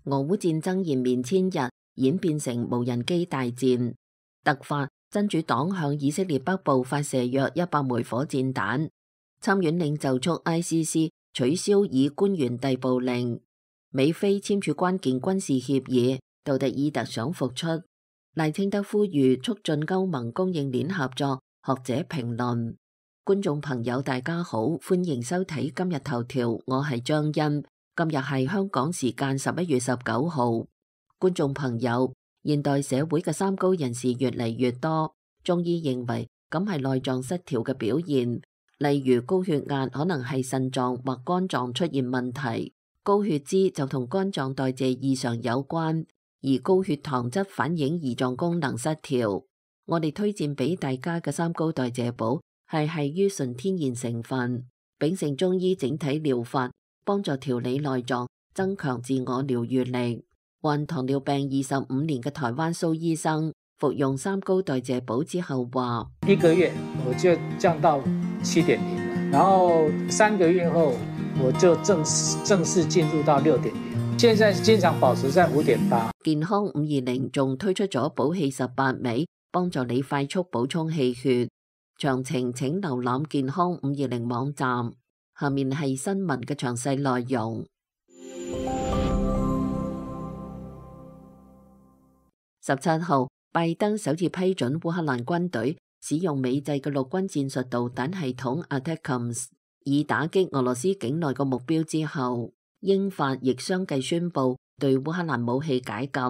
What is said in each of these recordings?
俄烏戰爭延綿千日，演變成無人機大戰。突發，真主黨向以色列北部發射約100枚火箭彈。參院領袖促 ICC 取消以官員逮捕令。美菲簽署關鍵軍事協議，杜特爾特想復出。賴清德呼籲促進歐盟供應鏈合作。學者評論。觀眾朋友大家好，歡迎收睇今日頭條，我係張欣。今日係香港時間11月19號。觀眾朋友，現代社會嘅三高人士越嚟越多，中醫認為咁係內臟失調嘅表現，例如高血壓可能係腎臟或肝臟出現問題，高血脂就同肝臟代謝異常有關，而高血糖則反映胰臟功能失調。我哋推薦俾大家嘅三高代謝寶係於純天然成分，秉承中醫整體療法，幫助調理內臟，增強自我療癒力。患糖尿病25年嘅台灣蘇醫生服用三高代謝寶之後話：1個月我就降到7.0了，然後3個月後我就正式進入到6.0，現在經常保持在5.8。健康520仲推出咗補氣18味，幫助你快速補充氣血。詳情請瀏覽健康520網站。下面係新聞嘅詳細內容。17號，拜登首次批准烏克蘭軍隊使用美製嘅陸軍戰術導彈系統 ATACMS 以打擊俄羅斯境內嘅目標之後，英法亦相繼宣布對烏克蘭武器解禁。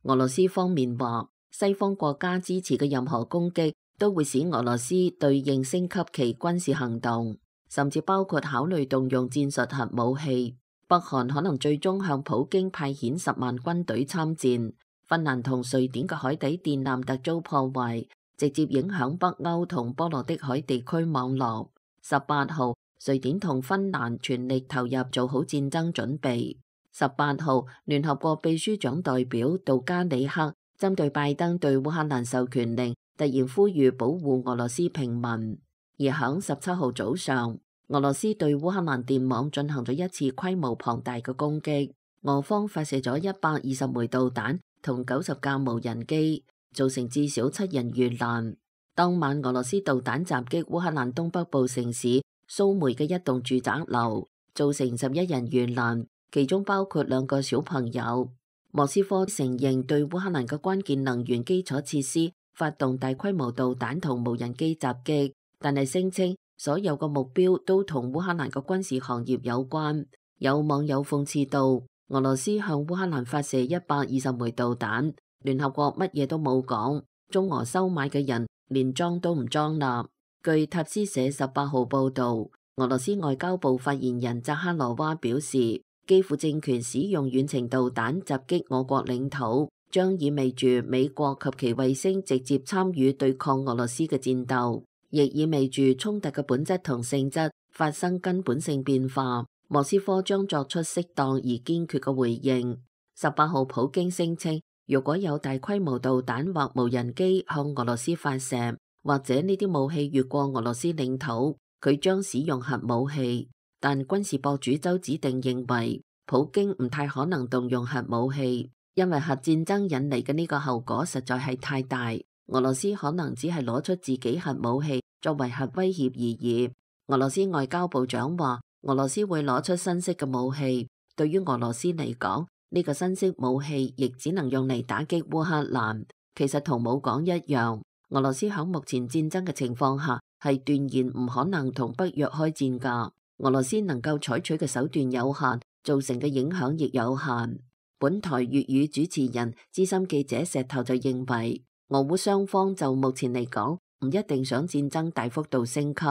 俄羅斯方面話，西方國家支持嘅任何攻擊都會使俄羅斯對應升級其軍事行動，甚至包括考慮動用戰術核武器。北韓可能最終向普京派遣10萬軍隊參戰。芬蘭同瑞典嘅海底電纜突遭破壞，直接影響北歐同波羅的海地區網絡。18號，瑞典同芬蘭全力投入做好戰爭準備。18號，聯合國秘書長代表杜加里克針對拜登對烏克蘭授權令，突然呼籲保護俄羅斯平民。而響17號早上，俄羅斯對烏克蘭電網進行咗一次規模龐大嘅攻擊，俄方發射咗120枚導彈同90架無人機，造成至少7人遇難。當晚俄羅斯導彈襲擊烏克蘭東北部城市蘇梅嘅一棟住宅樓，造成11人遇難，其中包括2個小朋友。莫斯科承認對烏克蘭嘅關鍵能源基礎設施發動大規模導彈同無人機襲擊，但係聲稱所有嘅目標都同烏克蘭嘅軍事行業有關。有網友諷刺道，俄羅斯向烏克蘭發射120枚導彈，聯合國乜嘢都冇講，中俄收買嘅人連裝都唔裝啦。據塔斯社18號報道，俄羅斯外交部發言人扎哈羅娃表示，基輔政權使用遠程導彈襲擊我國領土，將意味住美國及其衛星直接參與對抗俄羅斯嘅戰鬥，亦意味住衝突嘅本質同性質發生根本性變化。莫斯科將作出適當而堅決嘅回應。18號，普京聲稱，如果有大規模導彈或無人機向俄羅斯發射，或者呢啲武器越過俄羅斯領土，佢將使用核武器。但軍事博主周子定認為，普京唔太可能動用核武器，因為核戰爭引嚟嘅呢個後果實在係太大。俄羅斯可能只係攞出自己核武器作為核威脅而已。俄羅斯外交部長話，俄羅斯會攞出新式嘅武器，對於俄羅斯嚟講，呢個新式武器亦只能用嚟打擊烏克蘭。其實同冇講一樣，俄羅斯喺目前戰爭嘅情況下係斷然唔可能同北約開戰㗎。俄羅斯能夠採取嘅手段有限，造成嘅影響亦有限。本台粵語主持人資深記者石頭就認為，俄烏雙方就目前嚟講唔一定想戰爭大幅度升級，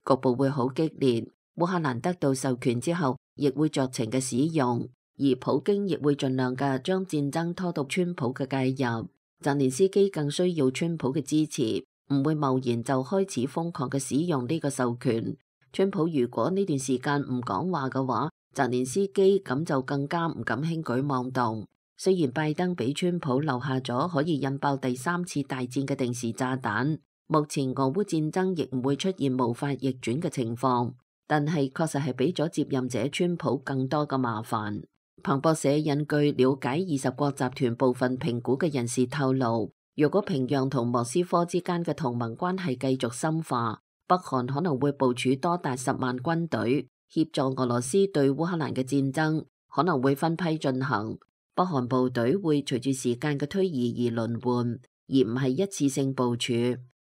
局部會好激烈。烏克蘭得到授權之後，亦會酌情嘅使用，而普京亦會盡量嘅將戰爭拖到川普嘅介入。澤連斯基更需要川普嘅支持，唔會貿然就開始瘋狂嘅使用呢個授權。川普如果呢段時間唔講話嘅話，澤連斯基咁就更加唔敢輕舉妄動。雖然拜登俾川普留下咗可以引爆第3次大戰嘅定時炸彈，目前俄烏戰爭亦唔會出現無法逆轉嘅情況，但係確實係俾咗接任者川普更多嘅麻煩。彭博社引據了解20國集團部分評估嘅人士透露，若果平壤同莫斯科之間嘅同盟關係繼續深化，北韓可能會部署多達10萬軍隊協助俄羅斯對烏克蘭嘅戰爭，可能會分批進行。北韓部隊會隨住時間嘅推移而輪換，而唔係一次性部署。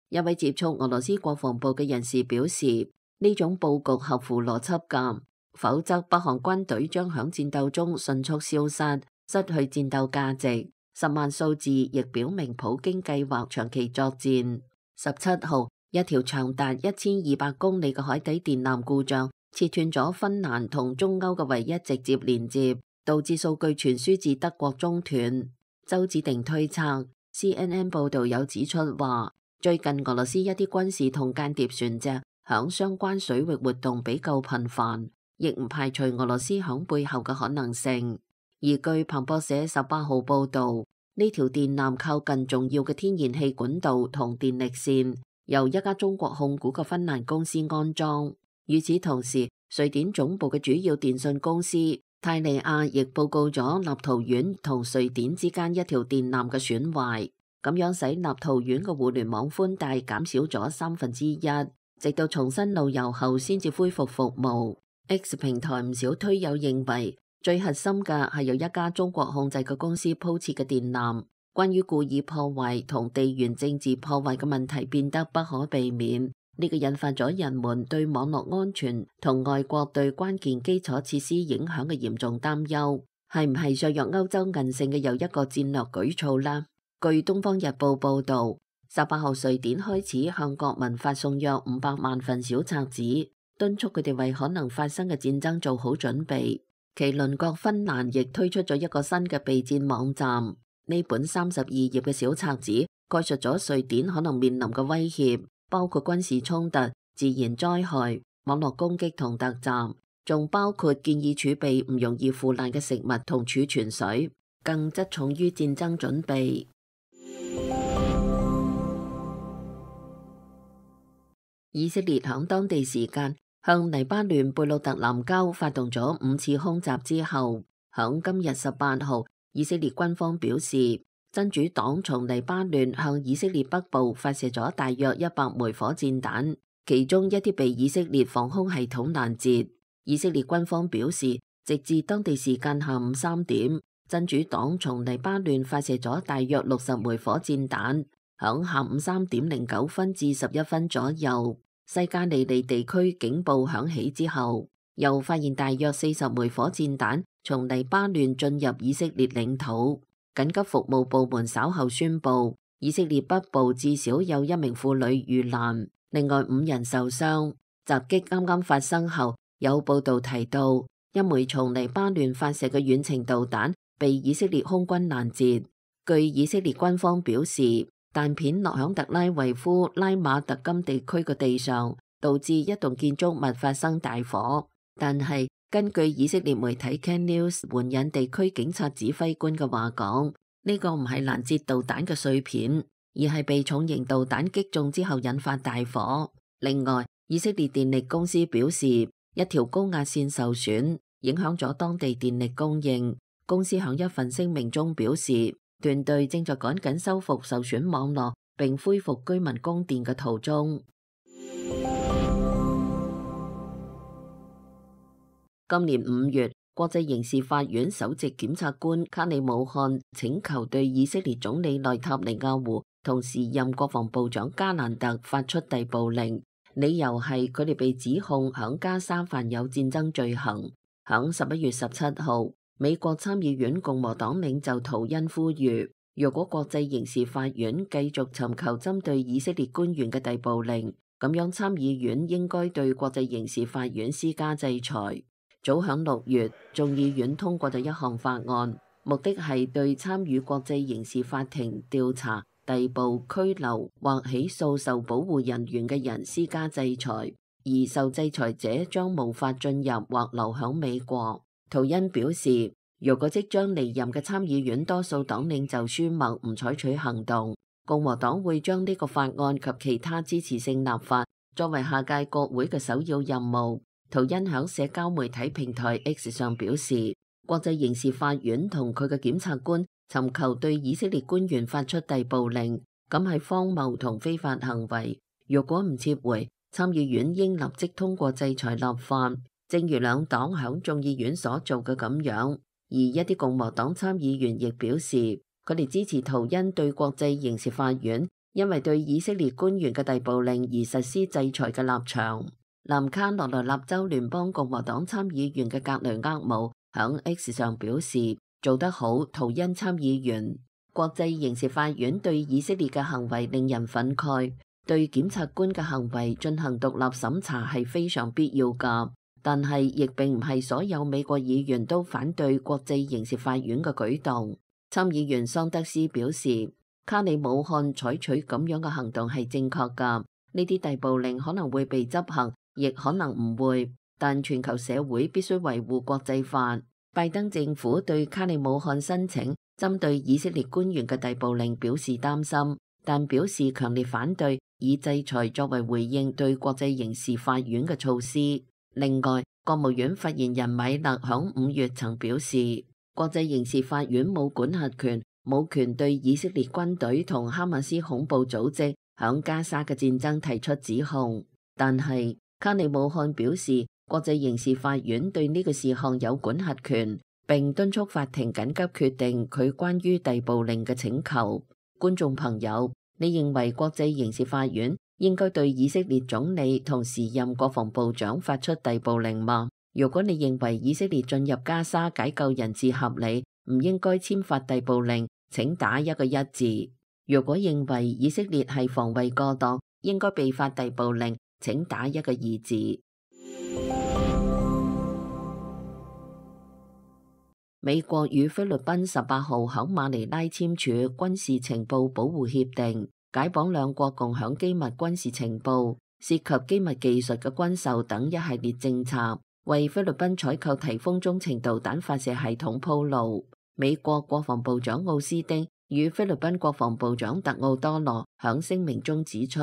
一位接觸俄羅斯國防部嘅人士表示，呢種佈局合乎邏輯㗎，否則北韓軍隊將響戰鬥中迅速消失，失去戰鬥價值。10萬數字亦表明普京計劃長期作戰。17號，一條長達1200公里嘅海底電纜故障，切斷咗芬蘭同中歐嘅唯一直接連接，導致數據傳輸至德國中斷。周子定推測 CNN 報道有指出話，最近俄羅斯一啲軍事同間諜船隻響相關水域活動比較頻繁，亦唔排除俄羅斯響背後嘅可能性。而據彭博社18號報道，呢條電纜靠近重要嘅天然氣管道同電力線，由一家中國控股嘅芬蘭公司安裝。與此同時，瑞典總部嘅主要電信公司泰利亞亦報告咗立陶宛同瑞典之間一條電纜嘅損壞，咁樣使立陶宛嘅互聯網寬帶減少咗1/3，直到重新路由後先至恢復服務。X 平台唔少推友認為，最核心嘅係由一家中國控制嘅公司鋪設嘅電纜。關於故意破壞同地緣政治破壞嘅問題變得不可避免，呢個引發咗人們對網絡安全同外國對關鍵基礎設施影響嘅嚴重擔憂，係唔係削弱歐洲韌性嘅又一個戰略舉措啦？據《東方日報》報導，18號瑞典開始向國民發送約500萬份小冊子，敦促佢哋為可能發生嘅戰爭做好準備。其鄰國芬蘭亦推出咗一個新嘅備戰網站。呢本32頁嘅小冊子概述咗瑞典可能面臨嘅威脅，包括軍事衝突、自然災害、網絡攻擊同突襲，仲包括建議儲備唔容易腐爛嘅食物同儲存水，更側重於戰爭準備。以色列響當地時間向黎巴嫩貝魯特南郊發動咗5次空襲之後，響今日18號，以色列軍方表示，真主黨從黎巴嫩向以色列北部發射咗大約100枚火箭彈，其中一啲被以色列防空系統攔截。以色列軍方表示，直至當地時間下午3點，真主黨從黎巴嫩發射咗大約60枚火箭彈。響下午3點09分至11分左右，西加利利地區警報響起之後，又發現大約40枚火箭彈從黎巴嫩進入以色列領土。緊急服務部門稍後宣布，以色列北部至少有1名婦女遇難，另外5人受傷。襲擊啱啱發生後，有報道提到1枚從黎巴嫩發射嘅遠程導彈被以色列空軍攔截。據以色列軍方表示，彈片落響特拉維夫拉馬特金地區嘅地上，導致一棟建築物發生大火。但係根據以色列媒體 Can News 援引地區警察指揮官嘅話講，呢個唔係攔截導彈嘅碎片，而係被重型導彈擊中之後引發大火。另外，以色列電力公司表示，一條高壓線受損，影響咗當地電力供應。公司響一份聲明中表示，團隊正在趕緊修復受損網絡，並恢復居民供電嘅途中。今年5月，國際刑事法院首席檢察官卡里姆漢請求對以色列總理內塔尼亞胡同時任國防部長加蘭特發出逮捕令，理由係佢哋被指控響加沙犯有戰爭罪行。響11月17號，美國參議院共和黨領袖圖恩呼籲，若果國際刑事法院繼續尋求針對以色列官員嘅逮捕令，咁樣參議院應該對國際刑事法院施加制裁。早響6月，眾議院通過咗一項法案，目的係對參與國際刑事法庭調查、逮捕、拘留或起訴受保護人員嘅人施加制裁，而受制裁者將無法進入或留響美國。圖恩表示，如果即將離任嘅參議院多數黨領袖舒默唔採取行動，共和黨會將呢個法案及其他支持性立法作為下屆國會嘅首要任務。圖恩響社交媒體平台 X 上表示，國際刑事法院同佢嘅檢察官尋求對以色列官員發出逮捕令，咁係荒謬同非法行為。若果唔撤回，參議院應立即通過制裁立法，正如兩黨響眾議院所做嘅咁樣。而一啲共和黨參議員亦表示，佢哋支持圖恩對國際刑事法院因為對以色列官員嘅逮捕令而實施制裁嘅立場。南卡羅來納州聯邦共和黨參議員嘅格雷厄姆響 X 上表示，做得好，圖恩參議員。國際刑事法院對以色列嘅行為令人憤慨，對檢察官嘅行為進行獨立審查係非常必要㗎，但係亦並唔係所有美國議員都反對國際刑事法院嘅舉動。參議員桑德斯表示，卡里武漢採取咁樣嘅行動係正確㗎，呢啲逮捕令可能會被執行，亦可能唔會，但全球社會必須維護國際法。拜登政府對卡里武漢申請針對以色列官員嘅逮捕令表示擔心，但表示強烈反對以制裁作為回應對國際刑事法院嘅措施。另外，國務院發言人米勒響5月曾表示，國際刑事法院冇管轄權，冇權對以色列軍隊同哈馬斯恐怖組織響加沙嘅戰爭提出指控。但係卡里武漢表示，國際刑事法院對呢個事項有管轄權，並敦促法庭緊急決定佢關於逮捕令嘅請求。觀眾朋友，你認為國際刑事法院應該對以色列總理同時任國防部長發出逮捕令嗎？如果你認為以色列進入加沙解救人質合理，唔應該簽發逮捕令，請打一個一字。如果認為以色列係防衛過當，應該被發逮捕令，請打一個二字。美國與菲律賓18號喺馬尼拉簽署軍事情報保護協定，解綁兩國共享機密軍事情報、涉及機密技術嘅軍售等一系列政策，為菲律賓採購提豐中程導彈發射系統鋪路。美國國防部長奧斯丁與菲律賓國防部長特奧多羅響聲明中指出，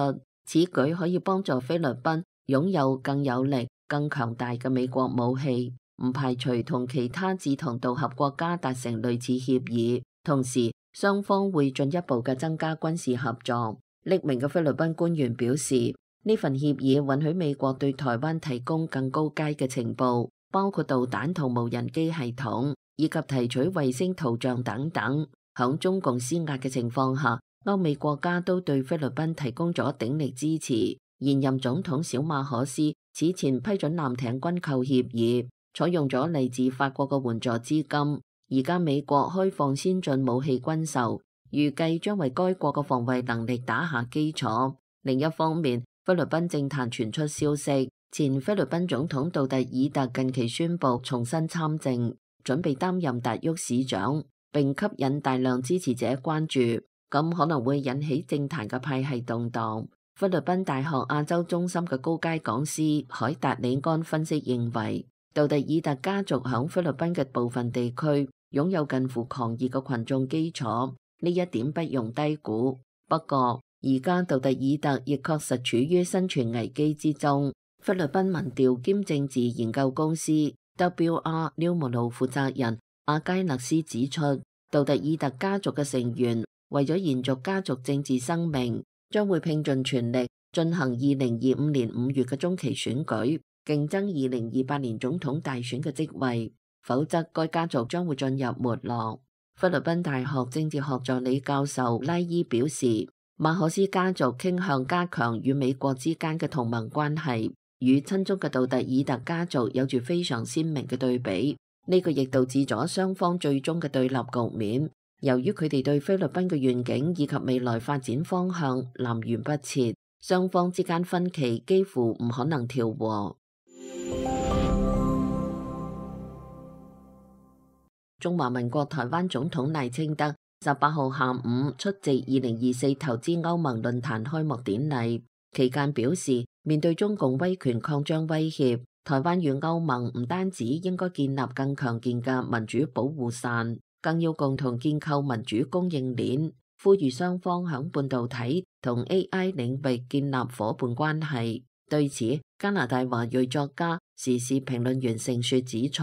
此舉可以幫助菲律賓擁有更有力、更強大嘅美國武器，唔排除同其他志同道合國家達成類似協議，同時雙方會進一步嘅增加軍事合作。匿名嘅菲律賓官員表示，呢份協議允許美國對台灣提供更高階嘅情報，包括導彈同無人機系統，以及提取衛星圖像等等。響中共施壓嘅情況下，歐美國家都對菲律賓提供咗鼎力支持。現任總統小馬可斯此前批准艦艇軍購協議，採用咗嚟自法國嘅援助資金。而家美國開放先進武器軍售，預計將為該國嘅防衛能力打下基礎。另一方面，菲律賓政壇傳出消息，前菲律賓總統杜特爾特近期宣布重新參政，準備擔任達沃市長，並吸引大量支持者關注，咁可能會引起政壇嘅派系動盪。菲律賓大學亞洲中心嘅高階講師海達里安分析認為，杜特爾特家族響菲律賓嘅部分地區擁有近乎狂熱嘅群眾基礎，呢一點不容低估。不過，而家杜特爾特亦確實處於生存危機之中。菲律賓民調兼政治研究公司 WR Numero 負責人阿佳勒斯指出，杜特爾特家族嘅成員為咗延續家族政治生命，將會拼盡全力進行2025年5月嘅中期選舉，競爭2028年總統大選嘅職位，否則該家族將會進入沒落。菲律賓大學政治學助理教授拉伊表示，馬可斯家族傾向加強與美國之間嘅同盟關係，與親中嘅杜特爾特家族有住非常鮮明嘅對比。呢個亦導致咗雙方最終嘅對立局面。由於佢哋對菲律賓嘅願景以及未來發展方向南轅北轍，雙方之間分歧幾乎唔可能調和。中華民國台灣總統賴清德18號下午出席2024投資歐盟論壇開幕典禮，期間表示，面對中共威權擴張威脅，台灣與歐盟唔單止應該建立更強健嘅民主保護傘，更要共同建構民主供應鏈，呼籲雙方響半導體同 AI 領域建立夥伴關係。對此，加拿大華裔作家時事評論員盛雪指出，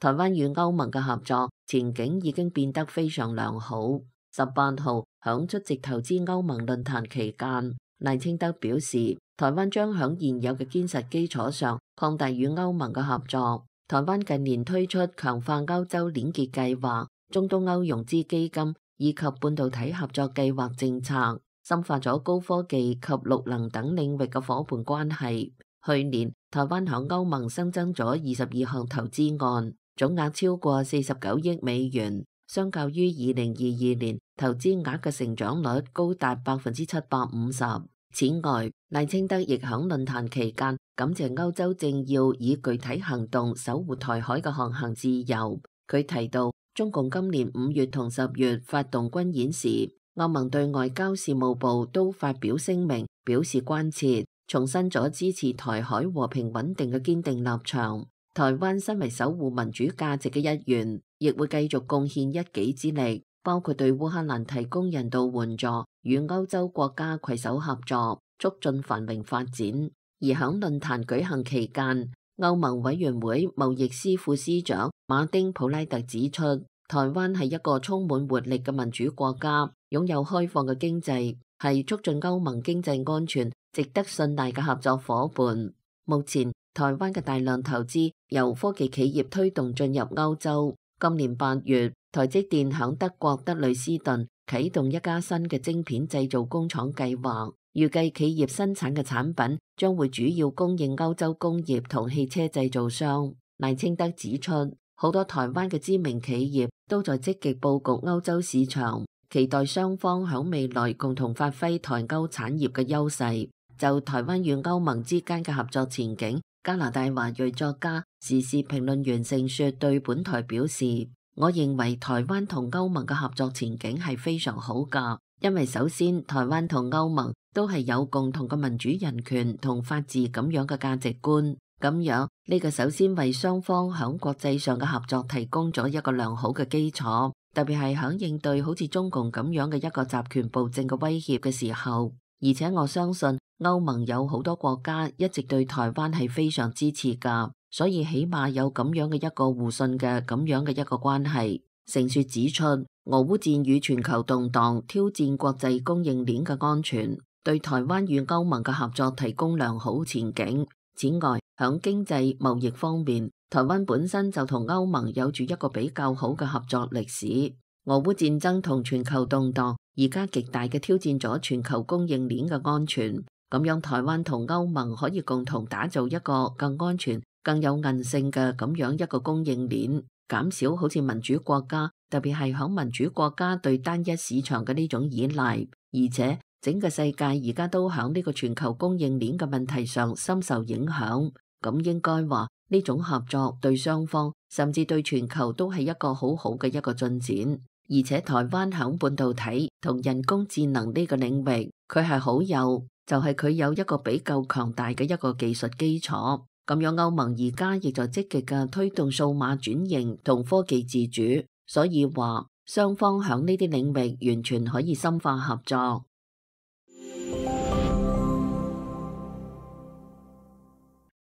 台灣與歐盟嘅合作前景已經變得非常良好。18號響出席投資歐盟論壇期間，賴清德表示，台灣將響現有嘅堅實基礎上擴大與歐盟嘅合作。台灣近年推出強化歐洲連結計劃、中東歐融資基金以及半導體合作計劃政策，深化咗高科技及綠能等領域嘅伙伴關係。去年，台灣響歐盟新增咗22項投資案，總額超過49億美元，相較於2022年投資額嘅成長率高達750%。此外，賴清德亦響論壇期間感謝歐洲政要以具體行動守護台海嘅航行自由。佢提到，中共今年5月同10月發動軍演時，歐盟對外交事務部都發表聲明，表示關切，重申咗支持台海和平穩定嘅堅定立場。台灣身為守護民主價值嘅一員，亦會繼續貢獻一己之力，包括對烏克蘭提供人道援助，與歐洲國家攜手合作，促進繁榮發展。而響論壇舉行期間，歐盟委員會貿易司副司長馬丁普拉特指出，台灣係一個充滿活力嘅民主國家，擁有開放嘅經濟，係促進歐盟經濟安全值得信賴嘅合作夥伴。目前，台灣嘅大量投資由科技企業推動進入歐洲。今年8月，台積電響德國德累斯頓啟動一家新嘅晶片製造工廠計劃，預計企業生產嘅產品將會主要供應歐洲工業同汽車製造商。賴清德指出，好多台灣嘅知名企業都在積極佈局歐洲市場，期待雙方響未來共同發揮台歐產業嘅優勢。就台灣與歐盟之間嘅合作前景，加拿大華裔作家、時事評論員盛雪對本台表示，我認為台灣同歐盟嘅合作前景係非常好㗎，因為首先台灣同歐盟都係有共同嘅民主人權同法治咁樣嘅價值觀，咁樣呢個首先為雙方響國際上嘅合作提供咗一個良好嘅基礎，特別係響應對好似中共咁樣嘅一個集權暴政嘅威脅嘅時候，而且我相信歐盟有好多國家一直對台灣係非常支持㗎，所以起碼有咁樣嘅一個互信嘅咁樣嘅一個關係。盛雪指出，俄烏戰與全球動盪挑戰國際供應鏈嘅安全，對台灣與歐盟嘅合作提供良好前景。此外，響經濟貿易方面，台灣本身就同歐盟有住一個比較好嘅合作歷史。俄烏戰爭同全球動盪而家極大嘅挑戰咗全球供應鏈嘅安全。咁樣台灣同歐盟可以共同打造一個更安全、更有韌性嘅咁樣一個供應鏈，減少好似民主國家，特別係響民主國家對單一市場嘅呢種依賴。而且整個世界而家都響呢個全球供應鏈嘅問題上深受影響。咁應該話呢種合作對雙方甚至對全球都係一個好好嘅一個進展。而且台灣響半導體同人工智能呢個領域，佢係好有。就係佢有一個比較強大嘅一個技術基礎，咁樣歐盟而家亦在積極嘅推動數碼轉型同科技自主，所以話雙方響呢啲領域完全可以深化合作。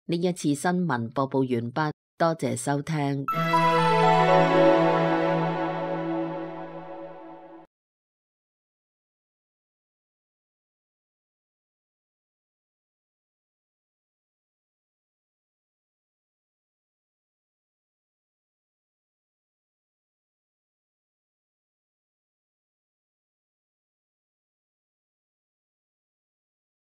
呢一次新聞播報完畢，多謝收聽。